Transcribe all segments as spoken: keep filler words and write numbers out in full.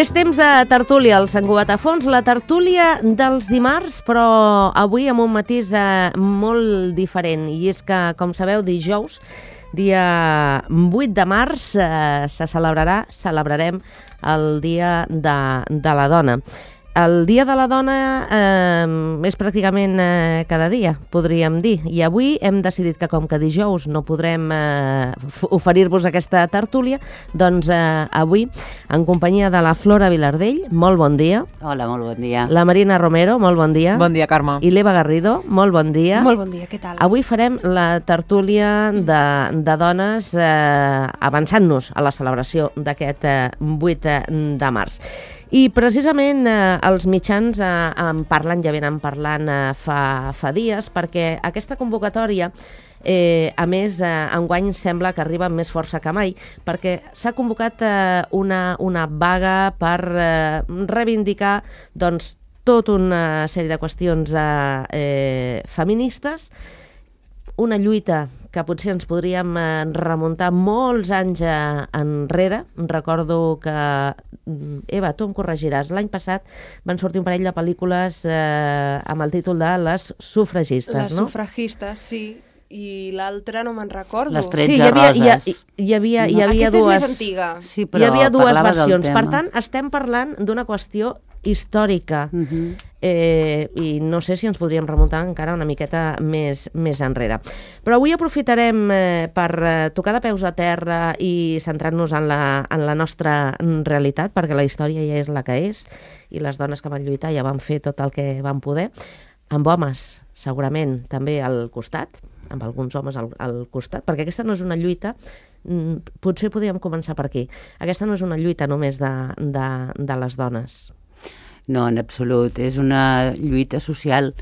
És temps de tertúlia al Sant Cugat a Fons, la tertúlia dels dimarts, però avui amb un matís eh, molt diferent. I és que, com sabeu, dijous, dia vuit de març, eh, se celebrarà, celebrarem el Dia de, de la Dona. El Dia de la Dona eh, és pràcticament eh, cada dia, podríem dir. I avui hem decidit que, com que dijous no podrem eh, oferir-vos aquesta tertúlia, doncs eh, avui, en companyia de la Flora Vilardell, molt bon dia. Hola, molt bon dia. La Marina Romero, molt bon dia. Bon dia, Carme. I l'Eva Garrido, molt bon dia. Molt bon dia, què tal? Avui farem la tertúlia de, de dones eh, avançant-nos a la celebració d'aquest eh, vuit de març. I precisament eh, els mitjans eh, en parlen, ja venen parlant eh, fa, fa dies, perquè aquesta convocatòria, eh, a més, eh, enguany sembla que arriba amb més força que mai, perquè s'ha convocat eh, una, una vaga per eh, reivindicar doncs, tota una sèrie de qüestions eh, eh, feministes, una lluita que potser ens podríem remuntar molts anys enrere. Recordo que, Eva, tu em corregiràs, l'any passat van sortir un parell de pel·lícules eh, amb el títol de Les sufragistes, Les no? Les sufragistes, sí, i l'altra no me'n recordo. Les tretze sí, hi havia, roses. Hi, hi havia, hi no, havia aquesta dues, és més antiga. Sí, però hi havia dues parlava versions. del Per tema. tant, estem parlant d'una qüestió històrica. Uh -huh. Eh, i no sé si ens podríem remuntar encara una miqueta més, més enrere. Però avui aprofitarem eh, per eh, tocar de peus a terra i centrar-nos en la, en la nostra realitat, perquè la història ja és la que és, i les dones que van lluitar ja van fer tot el que van poder, amb homes segurament també al costat, amb alguns homes al, al costat, perquè aquesta no és una lluita, potser podríem començar per aquí, aquesta no és una lluita només de, de, de les dones. No, en absolut. És una lluita social.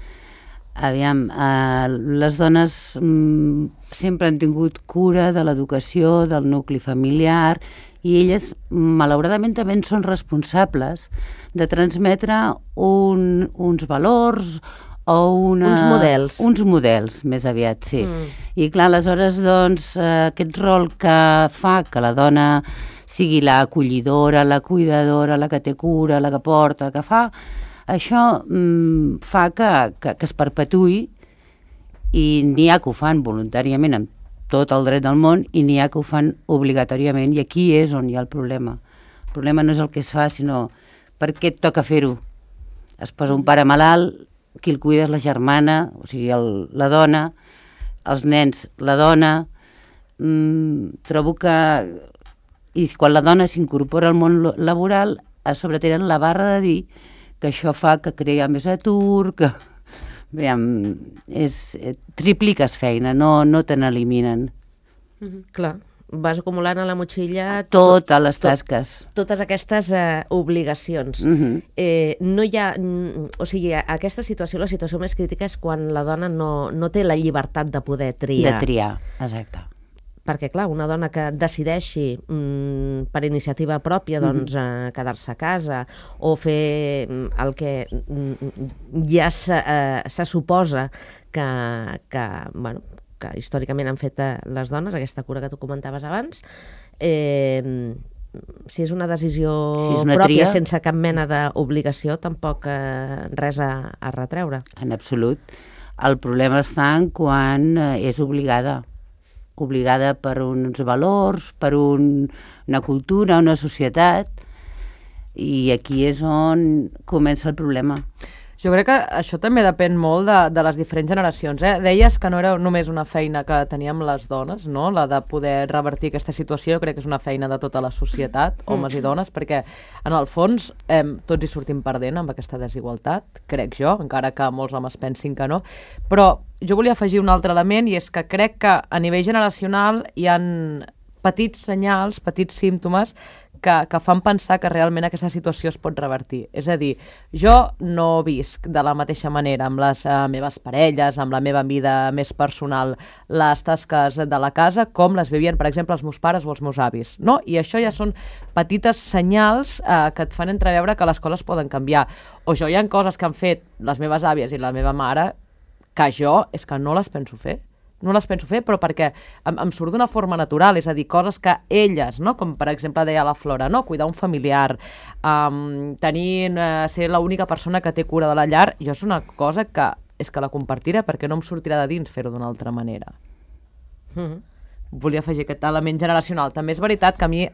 Aviam, eh, les dones mm, sempre han tingut cura de l'educació, del nucli familiar, i elles, malauradament, també en són responsables de transmetre un, uns valors o una... Uns models. Uns models, més aviat, sí. Mm. I clar, aleshores, doncs, eh, aquest rol que fa que la dona sigui la acollidora, la cuidadora, la que té cura, la que porta, la que fa, això mm, fa que, que, que es perpetuï, i n'hi ha que ho fan voluntàriament amb tot el dret del món i n'hi ha que ho fan obligatòriament, i aquí és on hi ha el problema. El problema no és el que es fa, sinó per què et toca fer-ho. Es posa un pare malalt, qui el cuida és la germana, o sigui, el, la dona, els nens, la dona. Mm, trobo que... I quan la dona s'incorpora al món laboral, a sobre tenen la barra de dir que això fa que crea més atur, que... Veiem, és, tripliques feina, no, no te n'eliminen. Mm-hmm. Clar, vas acumulant a la motxilla... Totes les tasques. Tot, totes aquestes eh, obligacions. Mm-hmm. eh, no hi ha... O sigui, aquesta situació, la situació més crítica és quan la dona no, no té la llibertat de poder triar. De triar, exacte. Perquè, clar, una dona que decideixi mm, per iniciativa pròpia doncs, mm-hmm. eh, quedar-se a casa o fer el que mm, ja se, eh, se suposa que, que, bueno, que històricament han fet eh, les dones, aquesta cura que tu comentaves abans, eh, si és una decisió si és una pròpia, tria, sense cap mena d'obligació, tampoc eh, res a, a retreure. En absolut. El problema està en quan eh, és obligada. obligada per uns valors, per un, una cultura, una societat, i aquí és on comença el problema. Jo crec que això també depèn molt de, de les diferents generacions. Eh? Deies que no era només una feina que teníem les dones, no? La de poder revertir aquesta situació. Jo crec que és una feina de tota la societat, homes i dones, perquè en el fons eh, tots hi sortim perdent amb aquesta desigualtat, crec jo, encara que molts homes pensin que no. Però jo volia afegir un altre element, i és que crec que a nivell generacional hi ha petits senyals, petits símptomes Que, que fan pensar que realment aquesta situació es pot revertir. És a dir, jo no visc de la mateixa manera amb les uh, meves parelles, amb la meva vida més personal, les tasques de la casa, com les vivien, per exemple, els meus pares o els meus avis. No? I això ja són petites senyals uh, que et fan entreveure que les coses poden canviar. O jo hi ha coses que han fet les meves àvies i la meva mare que jo és que no les penso fer. no les penso fer, però perquè em, em surt d'una forma natural, és a dir, coses que elles, no? Com per exemple deia la Flora, no? Cuidar un familiar, um, tenir, uh, ser l'única persona que té cura de la llar, jo és una cosa que és que la compartiré perquè no em sortirà de dins fer-ho d'una altra manera. Mm-hmm. Volia afegir aquest element generacional. També és veritat que a mi eh,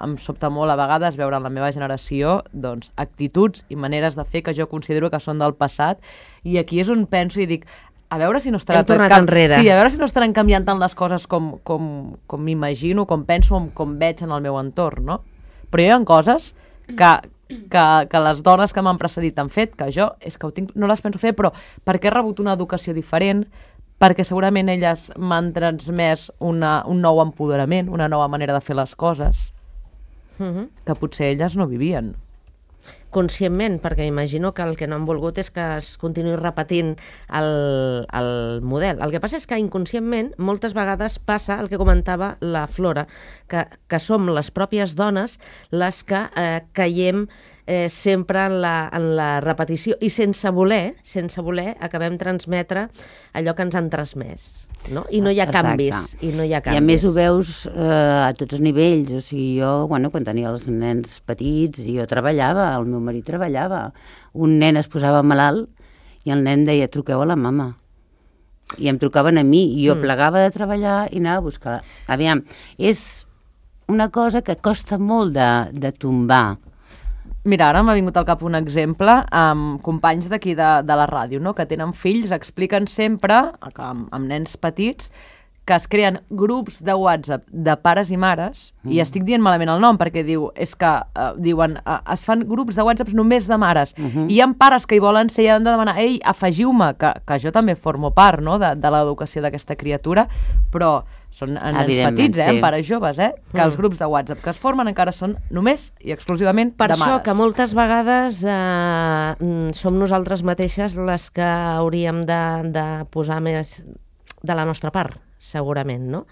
em sobta molt a vegades veure en la meva generació doncs, actituds i maneres de fer que jo considero que són del passat, i aquí és on penso i dic, a veure si no estarà Hem tornat enrere. Sí, a veure si no estaran canviant tant les coses com, com, com m'imagino, com penso, com, com veig en el meu entorn, no? Però hi ha coses que, que, que les dones que m'han precedit han fet, que jo és que ho tinc, no les penso fer, però perquè he rebut una educació diferent, perquè segurament elles m'han transmès una, un nou empoderament, una nova manera de fer les coses, Mm-hmm. que potser elles no vivien. Conscientment, perquè imagino que el que no han volgut és que es continuï repetint el, el model. El que passa és que inconscientment moltes vegades passa el que comentava la Flora, que, que som les pròpies dones les que eh, caiem eh, sempre en la, en la repetició i sense voler, sense voler acabem transmetre allò que ens han transmès. No? I no hi ha Exacte. canvis. I no hi ha canvis. I a més ho veus eh, a tots els nivells. O sigui, jo, bueno, quan tenia els nens petits, jo treballava, el meu marit treballava. Un nen es posava malalt i el nen deia, truqueu a la mama. I em trucaven a mi, i jo mm. plegava de treballar i anava a buscar. Aviam, és una cosa que costa molt de, de tombar. Mira, ara m'ha vingut al cap un exemple amb companys d'aquí de, de la ràdio, no? Que tenen fills, expliquen sempre, amb, amb nens petits, que es creen grups de WhatsApp de pares i mares, mm. i estic dient malament el nom perquè diu, és que uh, diuen, uh, es fan grups de WhatsApp només de mares, mm -hmm. i hi ha pares que hi volen ser i han de demanar, ei, afegiu-me, que, que jo també formo part, no?, de, de l'educació d'aquesta criatura, però són nens petits, eh, sí. pares joves, eh, que mm. els grups de WhatsApp que es formen encara són només i exclusivament per de mares. Per això que moltes vegades eh, som nosaltres mateixes les que hauríem de, de posar més de la nostra part, segurament, no?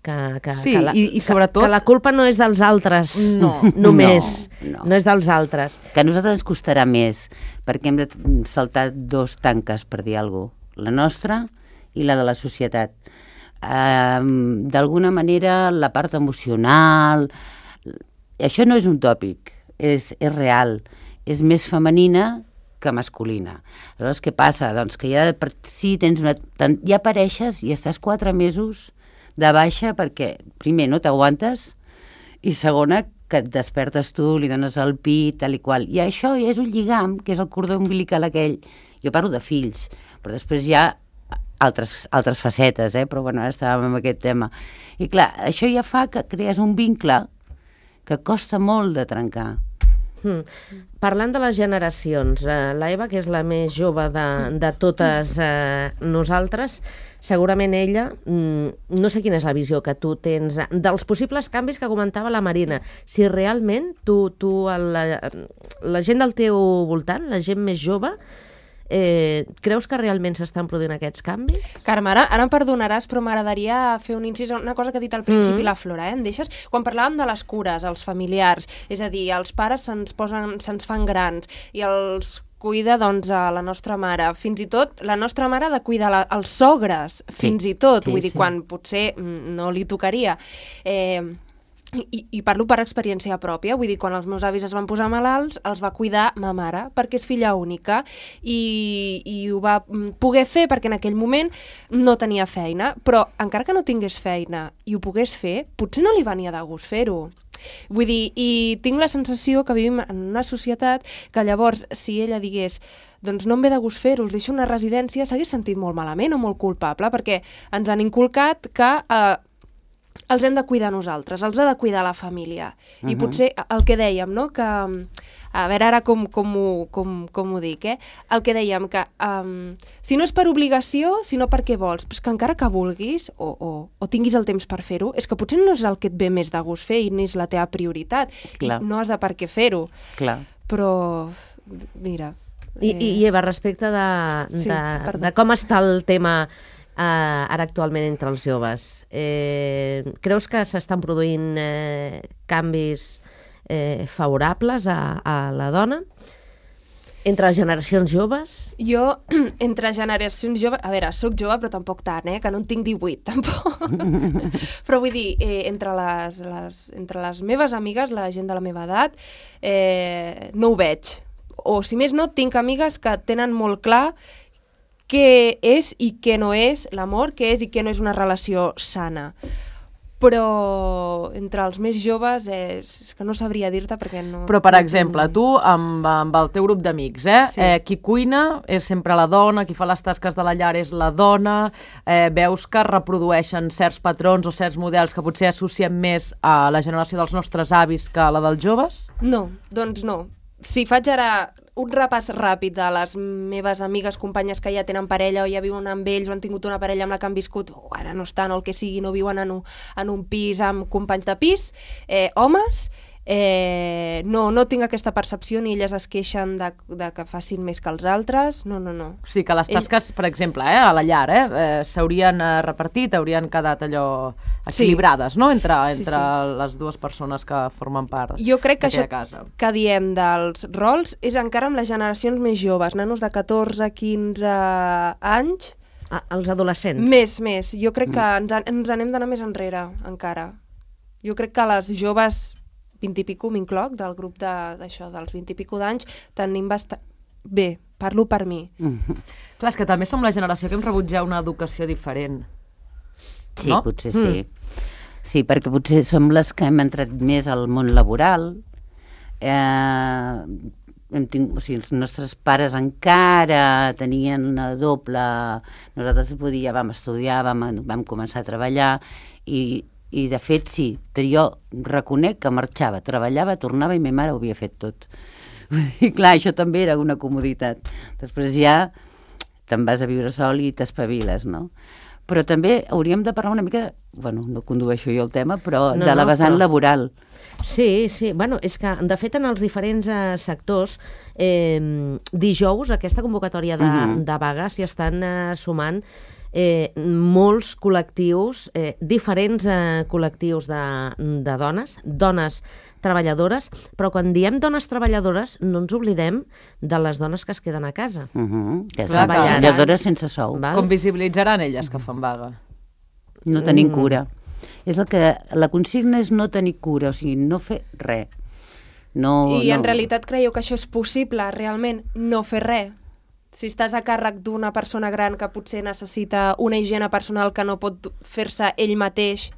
Que, que, sí, que la, i, i sobretot... Que, que la culpa no és dels altres, no, només, no, no. no és dels altres. Que a nosaltres ens costarà més, perquè hem de saltar dos tanques, per dir alguna cosa, la nostra i la de la societat. Um, d'alguna manera, la part emocional, això no és un tòpic, és, és real, és més femenina que masculina. Aleshores, què passa? Doncs que ja per si tens una... ja apareixes i estàs quatre mesos de baixa perquè, primer, no t'aguantes i segona, que et despertes tu, li dones el pit, tal i qual. I això ja és un lligam, que és el cordó umbilical aquell. Jo parlo de fills, però després hi ha altres, altres facetes, eh? Però bueno, ara estàvem amb aquest tema. I clar, això ja fa que crees un vincle que costa molt de trencar. Hmm. Parlant de les generacions, eh, la Eva, que és la més jove de, de totes eh, nosaltres, segurament ella, mm, no sé quina és la visió que tu tens dels possibles canvis que comentava la Marina. Si realment tu, tu la, la gent del teu voltant, la gent més jove, Eh, creus que realment s'estan produint aquests canvis? Carme, ara, ara em perdonaràs, però m'agradaria fer un incís, una cosa que ha dit al principi mm-hmm. la Flora, eh? Em deixes? Quan parlàvem de les cures, els familiars, és a dir, els pares se'ns posen, se'ns fan grans i els cuida, doncs, a la nostra mare. Fins i tot, la nostra mare ha de cuidar la, els sogres, fins sí, i tot, sí, vull dir, sí. quan potser no li tocaria. Eh... I, i parlo per experiència pròpia, vull dir, quan els meus avis es van posar malalts, els va cuidar ma mare, perquè és filla única, i, i ho va poder fer perquè en aquell moment no tenia feina, però encara que no tingués feina i ho pogués fer, potser no li venia de gust fer-ho. Vull dir, i tinc la sensació que vivim en una societat que llavors, si ella digués doncs no em ve de gust fer-ho, els deixo una residència, s'hagués sentit molt malament o molt culpable, perquè ens han inculcat que... Eh, els hem de cuidar nosaltres, els ha de cuidar la família. Uh-huh. I potser el que dèiem, no?, que... A veure ara com, com, ho, com, com ho dic, eh? El que dèiem, que um, si no és per obligació, sinó perquè vols, però és que encara que vulguis o, o, o tinguis el temps per fer-ho, és que potser no és el que et ve més de gust fer i no és la teva prioritat. Clar. I no has de per què fer-ho. Clar. Però, mira... I, eh... i Eva, respecte de, sí, de, de com està el tema... Uh, ara actualment entre els joves, eh, creus que s'estan produint eh, canvis eh, favorables a, a la dona? Entre les generacions joves? Jo, entre generacions joves... A veure, sóc jove, però tampoc tant, eh? Que no en tinc divuit, tampoc. Però vull dir, eh, entre, les, les, entre les meves amigues, la gent de la meva edat, eh, no ho veig. O, si més no, tinc amigues que tenen molt clar què és i què no és l'amor, què és i què no és una relació sana. Però entre els més joves eh, és que no sabria dir-te perquè no... Però, per no exemple, tinc... tu amb, amb el teu grup d'amics, eh? Sí. eh? Qui cuina és sempre la dona, qui fa les tasques de la llar és la dona, eh, veus que reprodueixen certs patrons o certs models que potser associem més a la generació dels nostres avis que a la dels joves? No, doncs no. Si faig ara un repàs ràpid de les meves amigues, companyes que ja tenen parella o ja viuen amb ells o han tingut una parella amb la que han viscut, o ara no estan o el que sigui, no viuen en un, en un pis amb companys de pis, eh, homes, eh, no, no tinc aquesta percepció ni elles es queixen de, de que facin més que els altres, no, no, no. O sigui que les tasques, Ell... per exemple, eh, a la llar, eh, eh, s'haurien eh, repartit, haurien quedat allò equilibrades, sí. no?, entre, entre sí, sí. les dues persones que formen part Jo crec que això casa. que diem dels rols és encara amb les generacions més joves, nanos de catorze, quinze anys. Ah, els adolescents? Més, més. Jo crec que ens, ens anem d'anar més enrere, encara. Jo crec que les joves vint i pico, m'incloc, del grup d'això, de, dels vint i pico d'anys, tenim bastant... Bé, parlo per mi. Mm-hmm. Clar, és que també som la generació que hem rebut ja una educació diferent. Sí, no? potser sí. Mm. Sí, perquè potser som les que hem entrat més al món laboral. Eh, hem tingut, o sigui, els nostres pares encara tenien una doble... Nosaltres podia, vam estudiar, vam, vam començar a treballar i... I, de fet, sí, jo reconec que marxava, treballava, tornava i ma mare ho havia fet tot. I clar, això també era una comoditat. Després ja te'n vas a viure sol i t'espaviles, no? Però també hauríem de parlar una mica, bueno, no condueixo jo el tema, però no, de la vessant no, però... laboral. Sí, sí, bueno, és que de fet en els diferents eh, sectors eh, dijous aquesta convocatòria de, uh-huh. de vagues s'hi estan eh, sumant Eh, molts col·lectius, eh, diferents eh, col·lectius de, de dones, dones treballadores, però quan diem dones treballadores no ens oblidem de les dones que es queden a casa. Uh-huh. Que són treballadores sense sou. Val? Com visibilitzaran elles que fan vaga? No tenim mm. cura. És el que, la consigna és no tenir cura, o sigui, no fer res. No, I no... en realitat creieu que això és possible, realment, no fer res? Si estàs a càrrec d'una persona gran que potser necessita una higiene personal que no pot fer-se ell mateix,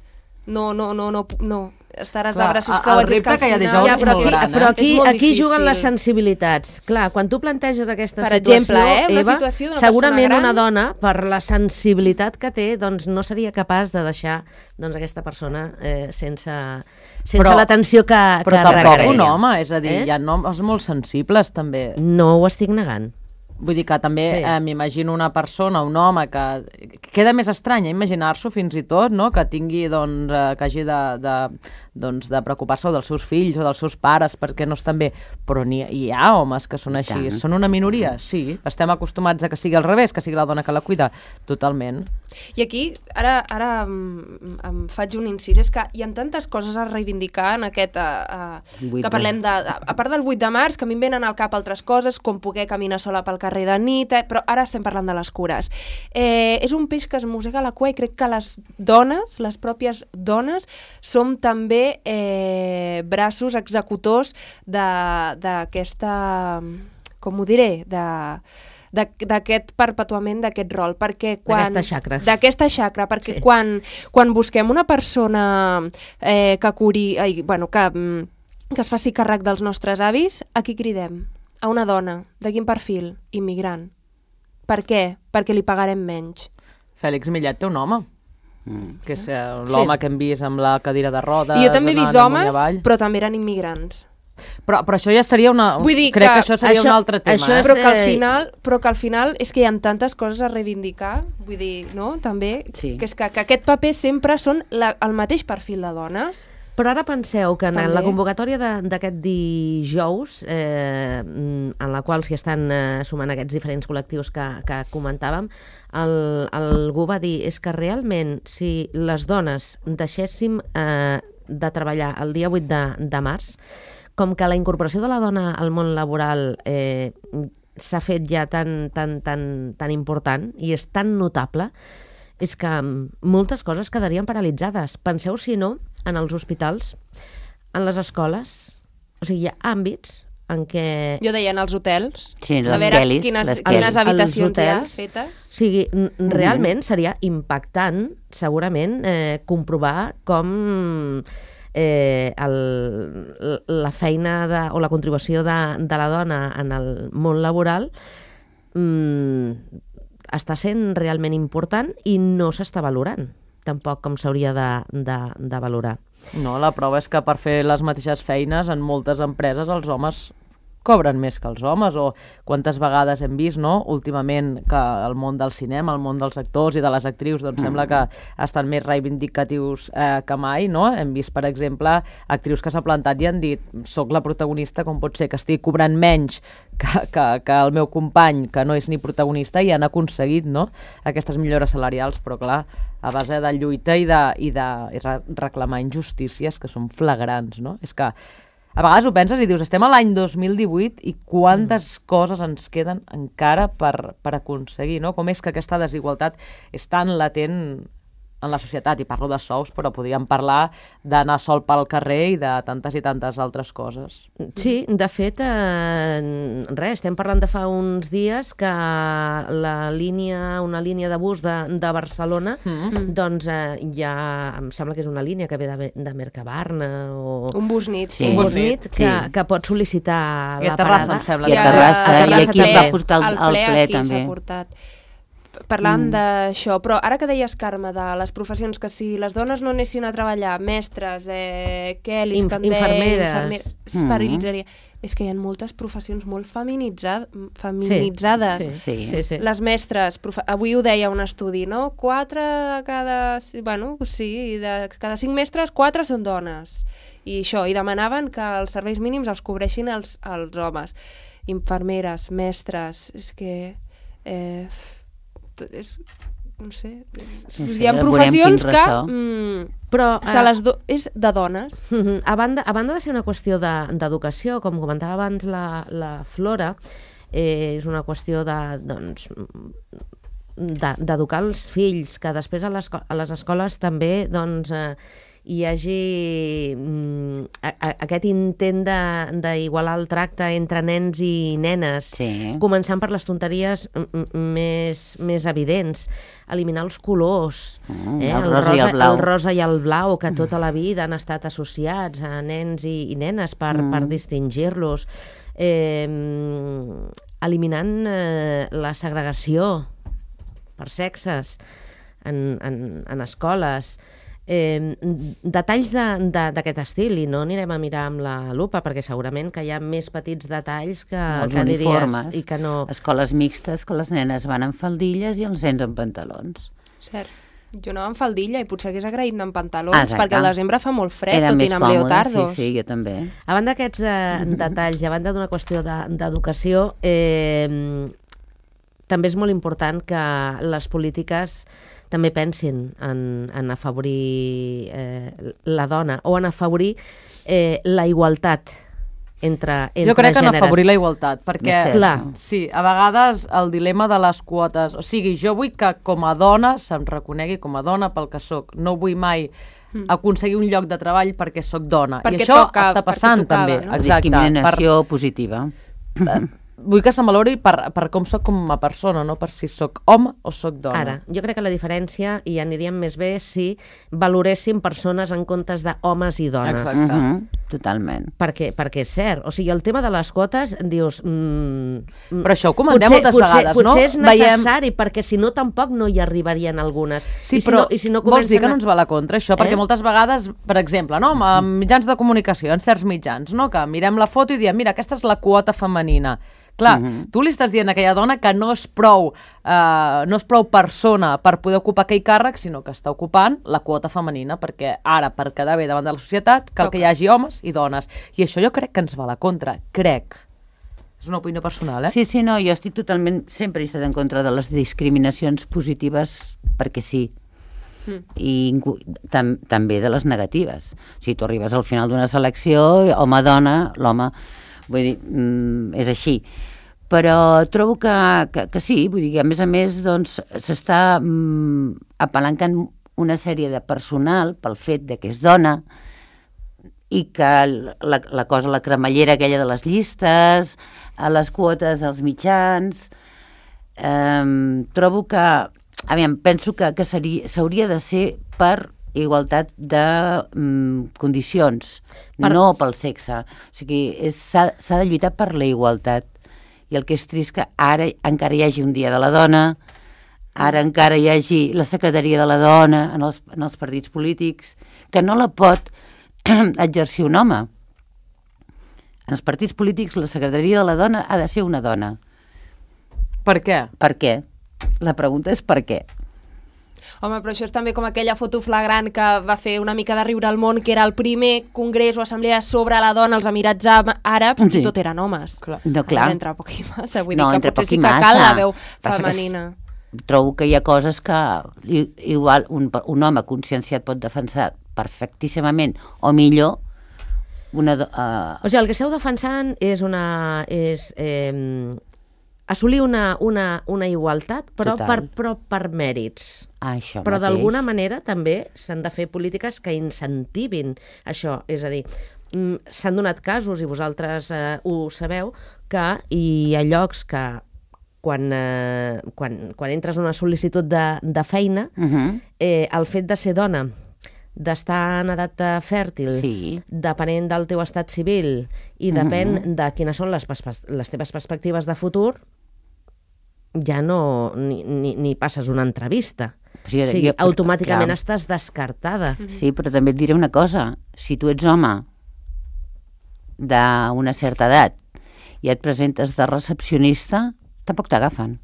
no, no, no, no, no. Estaràs Clar, de braços creuats. El repte que, que hi ha dijous ja, és però molt aquí, gran, eh? Però aquí, aquí difícil. juguen les sensibilitats. Clar, quan tu planteges aquesta per situació, exemple, eh, una Eva, situació segurament gran... una dona, per la sensibilitat que té, doncs no seria capaç de deixar doncs, aquesta persona eh, sense, sense l'atenció que, però que requereix. Però tampoc un home, és a dir, eh? hi ha homes molt sensibles també. No ho estic negant. Vull dir que també sí. eh, m'imagino una persona, un home, que queda més estrany imaginar-s'ho fins i tot, no? Que tingui, doncs, eh, que hagi de, de, doncs, de preocupar-se dels seus fills o dels seus pares perquè no estan bé. Però hi, hi ha homes que són així. Són una minoria, sí. Estem acostumats a que sigui al revés, que sigui la dona que la cuida. Totalment. I aquí, ara, ara em, em faig un incís, és que hi ha tantes coses a reivindicar en aquest... Uh, uh, que parlem de... A part del vuit de març, que a mi em venen al cap altres coses, com poder caminar sola pel carrer de nit, eh, però ara estem parlant de les cures. Eh, és un peix que es mossega la cua i crec que les dones, les pròpies dones, som també eh, braços executors d'aquesta... Com ho diré? De... d'aquest perpetuament d'aquest rol, perquè quan... D'aquesta xacra. D'aquesta xacra, perquè sí. quan, quan busquem una persona eh, que curi... Ai, bueno, que, que es faci càrrec dels nostres avis, a qui cridem? A una dona. De quin perfil? Immigrant. Per què? Perquè li pagarem menys. Fèlix Millet té un home. Mm. Que és eh, l'home sí. que hem vist amb la cadira de rodes... I jo també he vist homes, però també eren immigrants. Però, però això ja seria una... Vull dir crec que, que això seria això, un altre tema. això eh? però, que al final, però que al final és que hi ha tantes coses a reivindicar, vull dir, no? També, sí. que és que, que aquest paper sempre són la, el mateix perfil de dones. Però ara penseu que en també. la convocatòria d'aquest dijous, eh, en la qual s'hi estan eh, sumant aquests diferents col·lectius que, que comentàvem, el, algú va dir és que realment si les dones deixéssim eh, de treballar el dia vuit de, de març, com que la incorporació de la dona al món laboral eh, s'ha fet ja tan, tan, tan, tan important i és tan notable, és que moltes coses quedarien paralitzades. Penseu, si no, en els hospitals, en les escoles, o sigui, hi ha àmbits en què... Jo deia en els hotels, Sí, a les veure Kellys, quines, les quines Kellys. habitacions Els hi ha hotels. fetes. O sigui, n- realment seria impactant, segurament, eh, comprovar com eh, el, la feina de, o la contribució de, de la dona en el món laboral mm, està sent realment important i no s'està valorant tampoc com s'hauria de, de, de valorar. No, la prova és que per fer les mateixes feines en moltes empreses els homes cobren més que els homes, o quantes vegades hem vist, no?, últimament, que el món del cinema, el món dels actors i de les actrius, doncs mm. sembla que estan més reivindicatius eh, que mai, no? Hem vist, per exemple, actrius que s'han plantat i han dit soc la protagonista, com pot ser que estigui cobrant menys que, que, que el meu company, que no és ni protagonista, i han aconseguit, no?, aquestes millores salarials, però clar, a base de lluita i de, i de i re reclamar injustícies que són flagrants, no? És que a vegades ho penses i dius, estem a l'any dos mil divuit i quantes mm. coses ens queden encara per, per aconseguir, no? Com és que aquesta desigualtat és tan latent en la societat, i parlo de sous, però podríem parlar d'anar sol pel carrer i de tantes i tantes altres coses. Sí, de fet, eh, res, estem parlant de fa uns dies que la línia, una línia de bus de, de Barcelona, mm. doncs eh, ja, em sembla que és una línia que ve de, de Mercabarna o... Un bus nit, Sí. sí. un bus nit que, Sí. que pot sol·licitar I a la Terrassa, parada. em sembla. I a Ja, Terrassa, a i Terrassa aquí es va també. portar el, El el ple ple aquí s'ha també. portat. Parlant mm. d'això, però ara que deies, Carme, de les professions, que si les dones no anessin a treballar, mestres, eh, Kellys, Inf- que en deia, infermeres. infermeres, es Mm. perilitzaria. És que hi ha moltes professions molt feminitzad feminitzades. Sí, sí, Sí. sí, sí. Les mestres, profe... avui ho deia un estudi, no? Quatre de cada... Bueno, sí, de cada cinc mestres, quatre són dones. I això, i demanaven que els serveis mínims els cobreixin els, els homes. Infermeres, mestres, és que... Eh, tot és... No sé... És, Sí, sí, hi ha veurem professions quin que... ressò. Mm, Però, se les do... és de dones. Mhm. A banda, a banda de ser una qüestió de- d'educació, com comentava abans la, la Flora, eh, és una qüestió de, doncs, de- d'educar els fills, que després a les, a les escoles també doncs, eh, hi hagi mm, a, a, aquest intent de- d'igualar el tracte entre nens i nenes, Sí. començant per les tonteries mm, mm, més, més evidents, eliminar els colors, Mm, eh? el el, rosa i el rosa, blau. el rosa i el blau, que tota la vida han estat associats a nens i, i nenes per, Mm. per distingir-los, eh, eliminant eh, la segregació per sexes en, en, en escoles, eh, detalls de- de- d'aquest estil, i no anirem a mirar amb la lupa, perquè segurament que hi ha més petits detalls que, Els que diries uniformes, i que no... escoles mixtes, que les nenes van amb faldilles i els nens amb pantalons. Cert. Jo anava amb faldilla i potser hagués agraït anar amb pantalons, Exacte. perquè al desembre fa molt fred, Era tot més i anar amb còmode, leotardos. sí, sí, jo també. A banda d'aquests eh, detalls, i a banda d'una qüestió de- d'educació, eh, també és molt important que les polítiques també pensin en, en afavorir eh, la dona o en afavorir eh, la igualtat entre, entre Jo crec que en gèneres. afavorir la igualtat, perquè Més que Clar. això. sí, a vegades el dilema de les quotes, o sigui, jo vull que com a dona se'm reconegui com a dona pel que sóc, no vull mai aconseguir un lloc de treball perquè sóc dona, Perquè i això toca, està perquè passant tocava, també, no? exacte, Discriminació positiva. per, vull que se'm valori per, per com sóc com a persona, no per si sóc home o sóc dona. Ara, jo crec que la diferència, i aniríem més bé si valoréssim persones en comptes d'homes i dones. Exacte. Mhm, totalment. Perquè, perquè és cert, o sigui, el tema de les quotes, dius... Mm, Però això ho comentem moltes potser, vegades, no? Potser és Veiem- necessari, perquè si no tampoc no hi arribarien algunes. Sí, I si però no, i si no vols dir que comencen a- no ens va a la contra, això? Perquè Eh? moltes vegades, per exemple, no, amb mitjans de comunicació, en certs mitjans, no, que mirem la foto i diem, mira, aquesta és la quota femenina. Clar, Mhm. tu li estàs dient a aquella dona que no és prou, eh, no és prou persona per poder ocupar aquell càrrec, sinó que està ocupant la quota femenina, perquè ara, per quedar bé davant de la societat, cal Toca. que hi hagi homes i dones. I això jo crec que ens va a la contra, crec. És una opinió personal, eh? Sí, sí, no, jo estic totalment, sempre he estat en contra de les discriminacions positives perquè sí. Mm. I tam també de les negatives. Si tu arribes al final d'una selecció, home-dona, l'home, vull dir, mm, és així. Però trobo que, que, que sí, vull dir que a més a més doncs s'està mm, apalancant una sèrie de personal pel fet de que és dona i que la, la cosa, la cremallera aquella de les llistes, a les quotes als mitjans, eh, trobo que, aviam, penso que, que s'hauria de ser per igualtat de mm, condicions, per... no pel sexe. O sigui, s'ha de lluitar per la igualtat. I el que és trist que ara encara hi hagi un dia de la dona, ara encara hi hagi la secretaria de la dona en els, en els partits polítics, que no la pot exercir un home. En els partits polítics la secretaria de la dona ha de ser una dona. Per què? Per què? La pregunta és per què. Home, però això és també com aquella foto flagrant que va fer una mica de riure al món, que era el primer congrés o assemblea sobre la dona als Emirats Àrabs, sí. I tot eren homes. Clar. No, clar. Entre poc i massa, vull no, dir que potser sí que cal la veu femenina. Trobo que hi ha coses que igual un, un home conscienciat pot defensar perfectíssimament o millor una... Uh... O sigui, el que esteu defensant és una... és eh, assolir una, una, una igualtat, però per, però per mèrits. Ah, això però mateix. D'alguna manera també s'han de fer polítiques que incentivin això. És a dir, s'han donat casos, i vosaltres eh, ho sabeu, que hi ha llocs que quan, eh, quan, quan entres una sol·licitud de, de feina, uh -huh. eh, el fet de ser dona, d'estar en edat fèrtil, sí. Depenent del teu estat civil i depèn uh -huh. de quines són les, les teves perspectives de futur, ja no ni, ni, ni passes una entrevista. Sí, o sigui, jo, automàticament clar. Estàs descartada. Sí, però també et diré una cosa. Si tu ets home d'una certa edat i et presentes de recepcionista, tampoc t'agafen.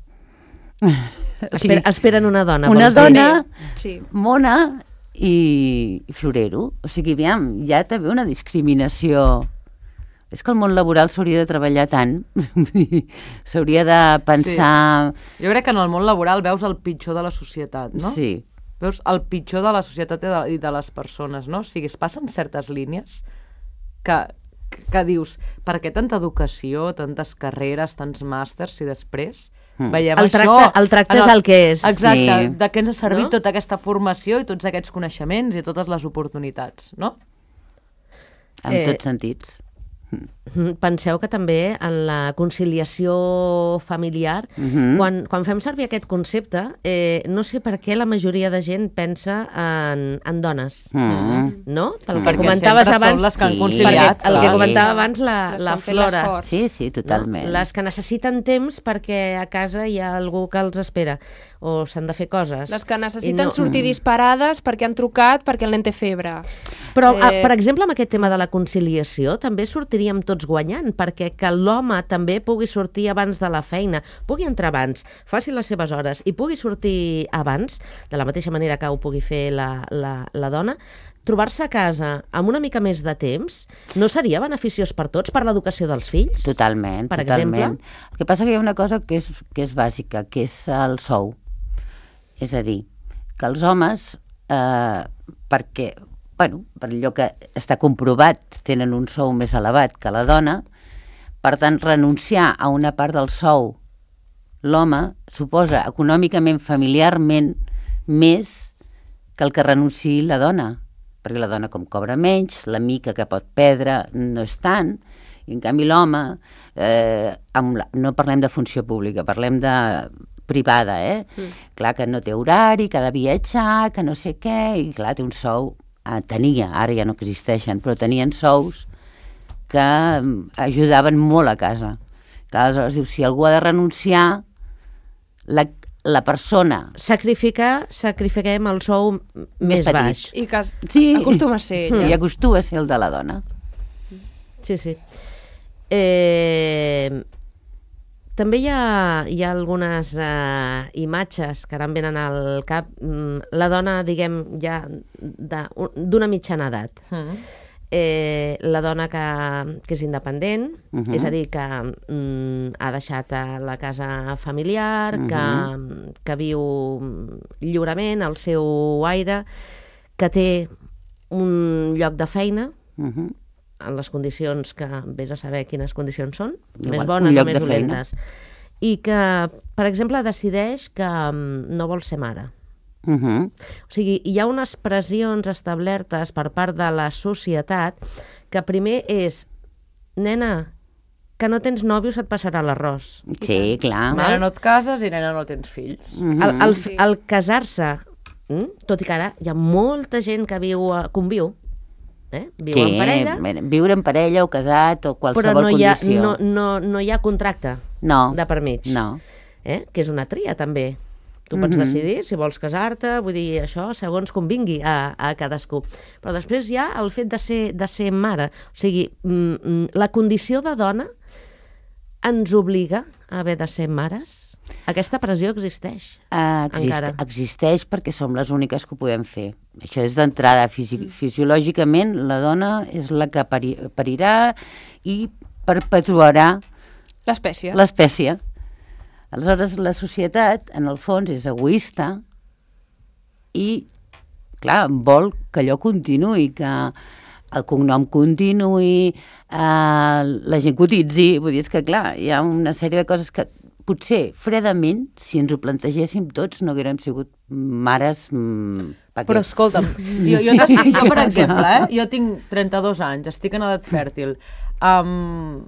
Esper, esperen una dona. Una dona sí. mona i florero. O sigui, aviam, ja també una discriminació. És que el món laboral s'hauria de treballar tant. S'hauria de pensar... Sí. Jo crec que en el món laboral veus el pitjor de la societat, no? Sí. Veus el pitjor de la societat i de, i de les persones, no? O sigui, es passen certes línies que, que, que dius, per què tanta educació, tantes carreres, tants màsters, i després... Veiem el tracte, això, el tracte és el, el que és. Exacte, sí. De què ens ha servit no? tota aquesta formació i tots aquests coneixements i totes les oportunitats, no? En eh, tots sentits. Penseu que també en la conciliació familiar, uh-huh. quan, quan fem servir aquest concepte, eh, no sé per què la majoria de gent pensa en, en dones, uh-huh. no? Pel uh-huh. que comentaves abans, les que han conciliat, el que comentava abans la, la Flora. Sí, sí, totalment. No? Les que necessiten temps perquè a casa hi ha algú que els espera o s'han de fer coses. Les que necessiten no... sortir disparades perquè han trucat perquè el nen té febre. Però, eh... per exemple, amb aquest tema de la conciliació també sortiríem tots guanyant, perquè que l'home també pugui sortir abans de la feina, pugui entrar abans, faci les seves hores i pugui sortir abans, de la mateixa manera que ho pugui fer la, la, la dona, trobar-se a casa amb una mica més de temps no seria beneficiós per tots, per l'educació dels fills? Totalment, per totalment. Exemple? El que passa que hi ha una cosa que és, que és bàsica, que és el sou. És a dir, que els homes, eh, perquè, bueno, per allò que està comprovat, tenen un sou més elevat que la dona, per tant, renunciar a una part del sou l'home suposa econòmicament, familiarment, més que el que renunciï la dona. Perquè la dona, com cobra menys, la mica que pot perdre no és tant, i en canvi l'home, eh, no parlem de funció pública, parlem de privada, eh? Mm. Clar que no té horari, que ha de viatjar, que no sé què, i clar, té un sou, eh, tenia, ara ja no existeixen, però tenien sous que ajudaven molt a casa. Clar, aleshores diu, si algú ha de renunciar, la, la persona... Sacrificar, sacrifiquem el sou més, més baix. I que sí. acostuma a ser ella. I acostuma a ser el de la dona. Sí, sí. Eh... També hi ha, hi ha algunes uh, imatges que ara em venen al cap. La dona, diguem, ja d'una mitjana edat. Mm. eh, la dona que, que és independent, uh Mhm. -huh. és a dir, que mm, ha deixat eh, la casa familiar, uh -huh. que, que viu lliurement el seu aire, que té un lloc de feina, Uh -huh. en les condicions que vés a saber quines condicions són, Igual, més un bones o lloc més de feina. dolentes. I que, per exemple, decideix que mm, no vol ser mare. Uh -huh. O sigui, hi ha unes pressions establertes per part de la societat que primer és, nena, que no tens nòvio se't passarà l'arròs. Sí, clar. Nena, no et cases i nena, no tens fills. Uh -huh. El, el, Sí. el casar-se, mm? tot i que ara hi ha molta gent que viu, a- conviu, eh? viu Sí, en parella, viure en parella o casat o però qualsevol no hi, ha, condició. no, no, no hi ha contracte no, de per mig. no. Eh? Que és una tria, també. Tu pots Mhm. decidir si vols casar-te, vull dir, això segons convingui a, a cadascú. Però després hi ha el fet de ser, de ser mare. O sigui, mm, mm, la condició de dona ens obliga a haver de ser mares? Aquesta pressió existeix. Uh, exist Encara. existeix perquè som les úniques que ho podem fer. Això és d'entrada. Fisi fisiològicament, la dona és la que pari parirà i perpetuarà L'espècie. l'espècie. Aleshores, la societat, en el fons, és egoista i, clar, vol que allò continuï, que el cognom continuï, eh, la gent cotitzi. Vull dir, és que, clar, hi ha una sèrie de coses que potser, fredament, si ens ho plantegéssim tots, no haguérem sigut mares... Mm, pa Però què? escolta'm, jo, jo, t'estic, jo per exemple, eh, jo tinc trenta-dos anys, estic en edat fèrtil. Um,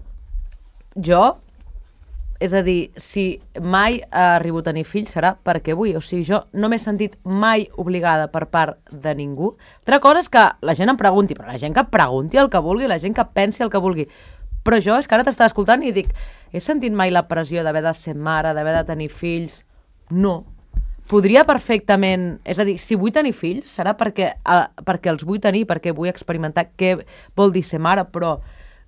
jo, és a dir, si mai arribo a tenir fills serà perquè vull. O sigui, jo no m'he sentit mai obligada per part de ningú. Altra cosa és que la gent em pregunti, però la gent que pregunti el que vulgui, la gent que pensi el que vulgui. Però jo és que ara t'estava escoltant i dic, he sentit mai la pressió d'haver de ser mare, d'haver de tenir fills? No. Podria perfectament... És a dir, si vull tenir fills serà perquè, uh, perquè els vull tenir, perquè vull experimentar què vol dir ser mare, però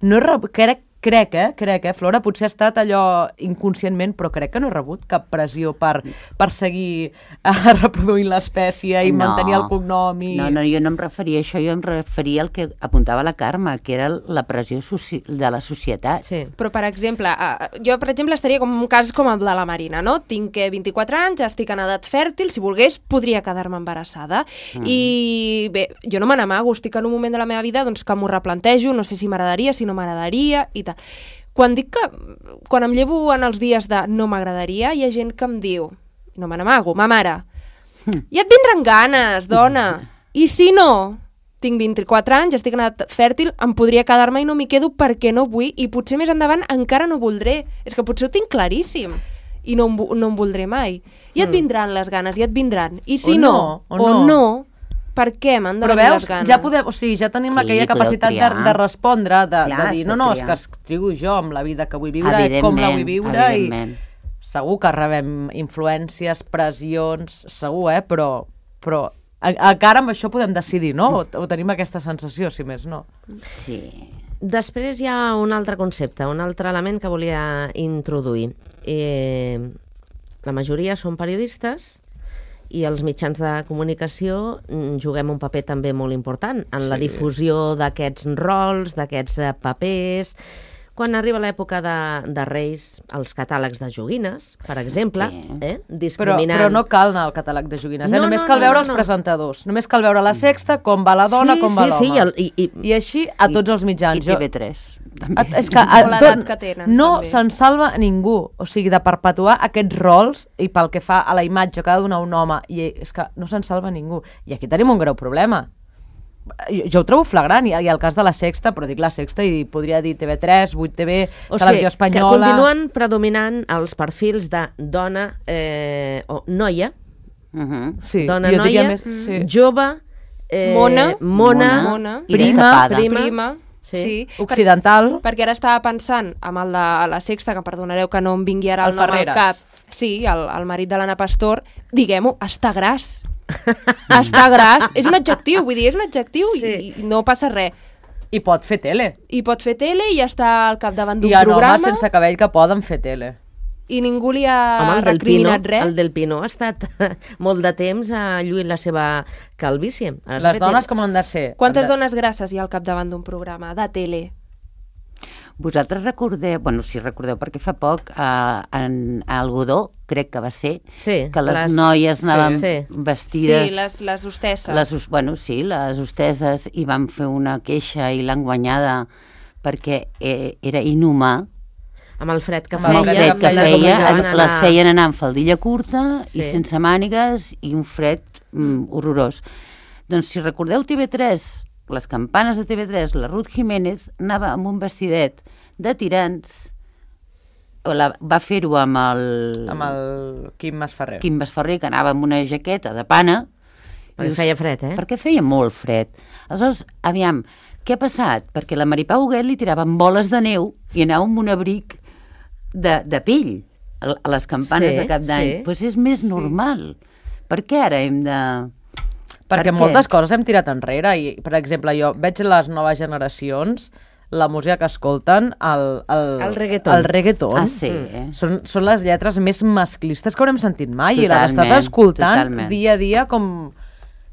no he rebut, crec, crec, eh, crec, eh, Flora, potser ha estat allò inconscientment, però crec que no he rebut cap pressió per, per seguir uh, reproduint l'espècie i No. mantenir el cognom i... No, no, jo no em referia a això, jo em referia al que apuntava la Carme, que era la pressió soci de la societat. Sí. Però, per exemple, uh, jo, per exemple, estaria com un cas com el de la Marina, no? Tinc eh, vint-i-quatre anys, estic en edat fèrtil, si volgués podria quedar-me embarassada. Mm. I bé, jo no me n'amago, estic en un moment de la meva vida doncs, que m'ho replantejo, no sé si m'agradaria, si no m'agradaria i tal. Quan dic que, quan em llevo en els dies de no m'agradaria, hi ha gent que em diu, no me n'amago, ma mare, ja et vindran ganes, dona, i si no? Tinc vint-i-quatre anys, estic en edat fèrtil, em podria quedar-me i no m'hi quedo perquè no vull, i potser més endavant encara no voldré. És que potser ho tinc claríssim, i no em, vo- no em voldré mai. I et vindran les ganes, i et vindran. I si O no, no, o no. no, per què m'han de Però venir veus, les ganes? ja podem, o sigui, ja tenim Sí, aquella podeu capacitat de, triar. de respondre, de, Clar, de es dir, pot no, no, és triar. que escriu jo amb la vida que vull viure, com la vull viure, i evidentment. segur que rebem influències, pressions, segur, eh, però, però a- encara amb això podem decidir, no? O, o tenim aquesta sensació, si més no. Sí. Després hi ha un altre concepte, un altre element que volia introduir. Eh, la majoria són periodistes i els mitjans de comunicació mm, juguem un paper també molt important en la Sí. difusió d'aquests rols, d'aquests eh, papers. Quan arriba l'època de, de Reis, els catàlegs de joguines, per exemple, Sí. eh, Però, discriminant... però no cal anar al catàleg de joguines, eh? No, Només no, cal no, veure no, els no. presentadors. Només cal veure la sexta, com va la dona, sí, com va sí, l'home. sí, el, i, i, I així a tots els mitjans. I T V tres. A, és que a, O l'edat que tenen, no també. se'n salva ningú, o sigui, de perpetuar aquests rols i pel que fa a la imatge que ha de donar un home, i és que no se'n salva ningú. I aquí tenim un greu problema. Jo, jo ho trobo flagrant, i, i el cas de la Sexta, però dic la Sexta i podria dir T V tres, vuit T V, O Televisió sigui, que Espanyola... continuen predominant els perfils de dona eh, o noia, Uh -huh. Sí, dona jo diria noia, més, sí. jove, eh, Mona. mona, Mona. I Prima, destapada. prima, Prima, sí. sí. Per, Occidental. perquè ara estava pensant amb el de la Sexta, que perdonareu que no em vingui ara el, El nom al Ferreres. cap. Sí, el, el marit de l'Anna Pastor, diguem-ho, està gras. Està gras. És un adjectiu, vull dir, és un adjectiu Sí. i, i no passa res. I pot fer tele. I pot fer tele i ja està al capdavant d'un Hi ha programa. homes sense cabell que poden fer tele. i ningú li ha Home, el del Pino, recriminat res. el del Pino ha estat molt de temps a lluir la seva calvície. Has Les fet- dones com han de ser? Quantes Han de... dones grasses hi ha al capdavant d'un programa de tele? Vosaltres recordeu, bueno, si recordeu, perquè fa poc a, en, a Algodó, crec que va ser, Sí, que les, les- noies anaven sí, sí. vestides... Sí, les, les hostesses. Les, hos- bueno, sí, les hosteses, i van fer una queixa i l'han guanyada perquè eh, era inhumà. Amb el fred que Amb el Amb el feia, fred que les feia, obligaven a les anar- feien anar amb faldilla curta Sí. i sense mànigues i un fred mm, horrorós. Doncs si recordeu T V tres, les campanes de T V tres, la Ruth Jiménez anava amb un vestidet de tirants, o la, va fer-ho amb el, Amb el Quim Masferrer. Quim Masferrer, que anava amb una jaqueta de pana. Perquè feia fred, eh? Perquè feia molt fred. Aleshores, aviam, què ha passat? Perquè la Maripau Huguet li tiraven boles de neu i anava amb un abric de, de pell a a les campanes Sí, de cap d'any. sí. Doncs pues és més normal. Per què ara hem de... Perquè Per què? moltes coses hem tirat enrere i, per exemple, jo veig les noves generacions, la música que escolten, el, el, El reggaeton. El reggaeton. Ah, sí, eh? Són, són les lletres més masclistes que haurem sentit mai i les has Totalment, estat escoltant totalment. dia a dia com...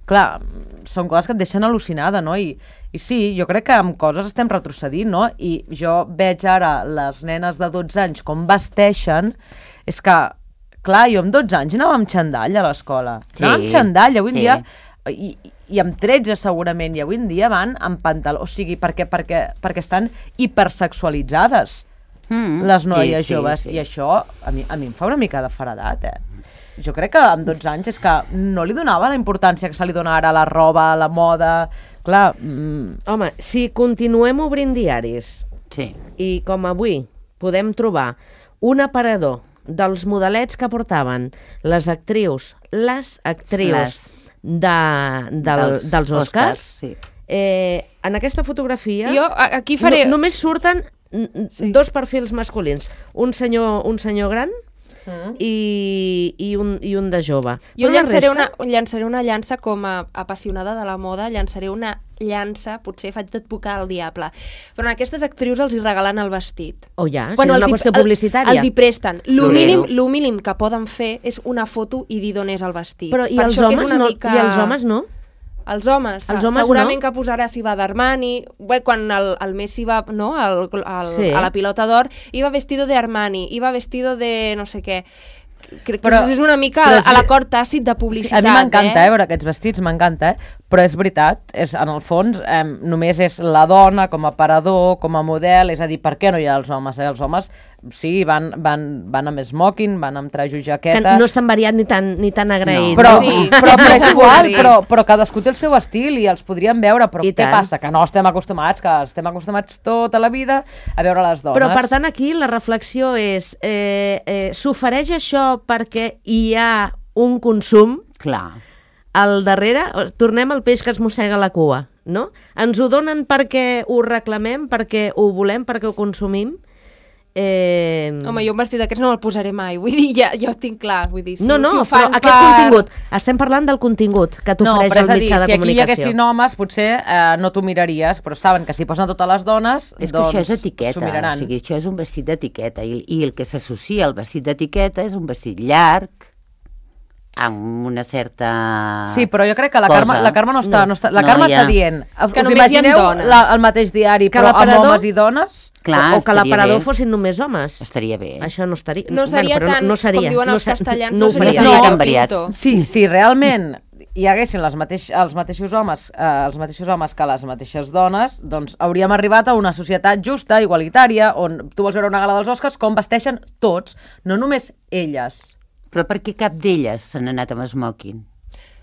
Clar, són coses que et deixen al·lucinada, no? I, I sí, jo crec que amb coses estem retrocedint, no? I jo veig ara les nenes de dotze anys com vesteixen, és que, clar, jo amb dotze anys anava amb xandall a l'escola. Sí, Anava amb xandall, avui en sí. dia... I, i amb tretze segurament, i avui en dia van amb pantaló, o sigui, perquè, perquè, perquè estan hipersexualitzades Mm, les noies sí, sí, joves, sí. i això a mi, a mi em fa una mica de faradat, eh? Jo crec que amb dotze anys és que no li donava la importància que se li dona ara a la roba, a la moda... Clar, mm, Home, si continuem obrint diaris Sí. i com avui podem trobar un aparador dels modelets que portaven les actrius, les actrius Les. de, del, dels, dels Oscars, sí. eh, en aquesta fotografia Jo a- aquí faré... no, només surten mm, Sí. dos perfils masculins, un senyor, un senyor gran mm. i, i, un, i un de jove. Jo Però la llançaré, resta- una, llançaré una llança com a apassionada de la moda, llançaré una llança, potser faig d'advocar al diable, però a aquestes actrius els hi regalen el vestit. Oh, ja, si és una els hi- qüestió el- publicitària. Els hi presten. Lo Florero. mínim, lo mínim que poden fer és una foto i dir d'on és el vestit. Però i Per els, això que és homes una no, mica... I els homes no? Els homes, Els homes segurament no. que posarà si va d'Armani, bé, quan el, el Messi va no, al, al, Sí. a la pilota d'or, iba vestido de Armani, iba vestido de no sé què. Crec que Però- això és una mica però a, és- a l'acord tàcit de sí, publicitat. a mi m'encanta, eh? eh, veure aquests vestits, m'encanta, eh? Però és veritat, és, en el fons eh, només és la dona com a aparador, com a model, és a dir, per què no hi ha els homes? Eh? Els homes, sí, van, van, van amb smoking, van amb trajo i Que jaqueta... no és tan variat ni tan, ni tan agraït. Però, Sí, però, és però, més és igual, avorrit. però, però cadascú té el seu estil i els podríem veure, però I què tant. passa? Que no estem acostumats, que estem acostumats tota la vida a veure les dones. Però, per tant, aquí la reflexió és eh, eh, s'ofereix això perquè hi ha un consum Clar. al darrere, tornem al peix que es mossega la cua, no? Ens ho donen perquè ho reclamem, perquè ho volem, perquè ho consumim. Eh... Home, jo un vestit d'aquests no me'l posaré mai, vull dir, ja, ja ho tinc clar, vull dir, si, no, no, si ho però fan aquest per... contingut, estem parlant del contingut que No, t'ofereix però el és a dir, mitjà de si aquí hi comunicació. haguessin homes, potser eh, no t'ho miraries, però saben que si posen totes les dones, És que doncs això és etiqueta, s'ho miraran. o sigui, això és un vestit d'etiqueta i, i el que s'associa al vestit d'etiqueta és un vestit llarg, amb una certa Sí, però jo crec que la cosa. Carme, la Carme no està... No, està la No, Carme ja. està dient... Que us només hi ha imagineu dones. la, el mateix diari, Que però amb l'aparador- homes i dones? Clar, o, o que estaria l'aparador bé. fossin només homes. Estaria bé. Això no estaria... No seria però tan, no, no seria, com diuen no els se- castellans, no no, ho seria faria. tan No. variopinto. Sí, si realment hi haguessin les mateix, els mateixos homes eh, els mateixos homes que les mateixes dones, doncs hauríem arribat a una societat justa, igualitària, on tu vols veure una gala dels Oscars com vesteixen tots, no només elles. Però per què cap d'elles se n'ha anat amb smoking?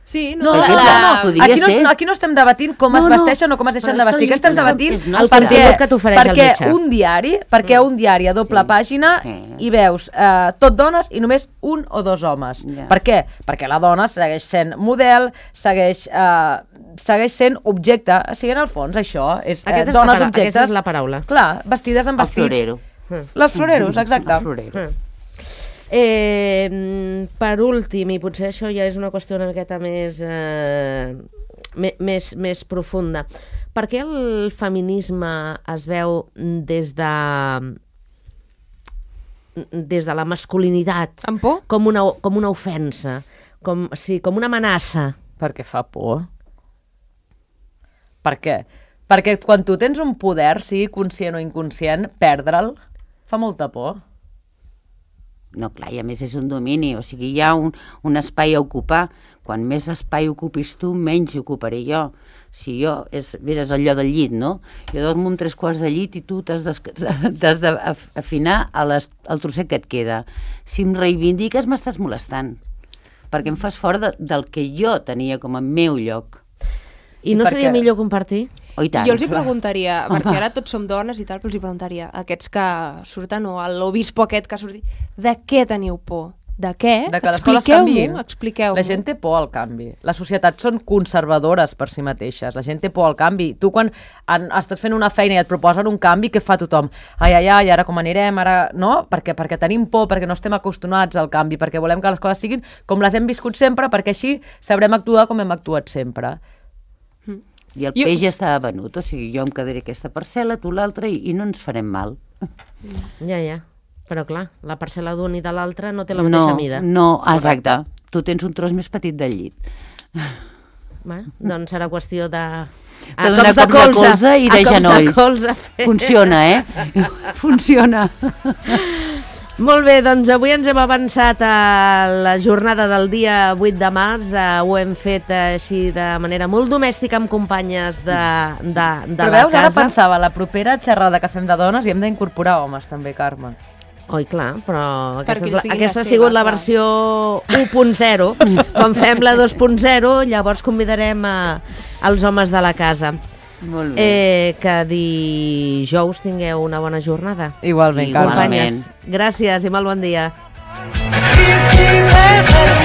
Sí, No, no, no, Perquè no, la- no. podria Aquí, no, ser. aquí no estem debatint com No, es no. vesteixen o com es deixen Però de vestir, és que que estem és- debatint és el nostre. contingut que t'ofereix el perquè mitjà. un diari, perquè un diari a doble Sí. pàgina Sí. hi veus eh, tot dones i només un o dos homes. Ja. Per què? Perquè la dona segueix sent model, segueix, eh, segueix sent objecte. O sigui, en el fons, això és eh, Aquesta és la dones para- objectes... aquesta és la paraula. Clar, vestides amb El vestits. florero. Les floreros, exacte. El florero. Mm. Eh, mm, per últim, i potser això ja és una qüestió una miqueta més, eh, me- més, més profunda, per què el feminisme es veu des de des de la masculinitat Amb por? com una, com una ofensa, com, sí, com una amenaça. Perquè fa por. Per què? Perquè quan tu tens un poder, sigui conscient o inconscient, perdre'l fa molta por. No, clar, i a més és un domini, o sigui, hi ha un, un espai a ocupar. Quan més espai ocupis tu, menys ocuparé jo. Si jo, és, és allò del llit, no? Jo dormo amb tres quarts de llit i tu t'has d'afinar al trosset que et queda. Si em reivindiques, m'estàs molestant, perquè em fas fora de, del que jo tenia com a meu lloc. I no seria millor compartir? Oh, i tant, jo els hi clar. preguntaria, perquè ara tots som dones i tal, però els hi preguntaria, aquests que surten, o l'obispo aquest que ha sortit, de què teniu por? De què? De que les coses canviïn. Expliqueu-m'ho, expliqueu-m'ho. La gent té por al canvi. Les societats són conservadores per si mateixes. La gent té por al canvi. Tu quan en, estàs fent una feina i et proposen un canvi, què fa tothom? Ai, ai, ai, ara com anirem? Ara... No? Perquè, perquè tenim por, perquè no estem acostumats al canvi, perquè volem que les coses siguin com les hem viscut sempre, perquè així sabrem actuar com hem actuat sempre. I el Jo- peix ja estava venut, o sigui, jo em quedaré aquesta parcel·la, tu l'altra, i, i no ens farem mal. Ja, ja. Però clar, la parcel·la d'un i de l'altre no té la mateixa no, mida. No, exacte. Tu tens un tros més petit del llit. Bé, doncs serà qüestió de... De donar cops de colze i de a cops genolls. De colze fer. Funciona, eh? Funciona. Molt bé, doncs avui ens hem avançat a la jornada del dia vuit de març. Eh, ho hem fet eh, així de manera molt domèstica amb companyes de, de, de Però la veus, casa. ara pensava, la propera xerrada que fem de dones hi hem d'incorporar homes també, Carme. Oi, clar, però aquesta, Perquè és la, siguin aquesta la ha sigut seva, la clar. versió u punt zero. Quan fem la dos punt zero, llavors convidarem a, als homes de la casa. Molt bé. Eh, que dijous tingueu una bona jornada. Igualment, Carme. Igualment. Companyes, gràcies i molt bon dia. Y si me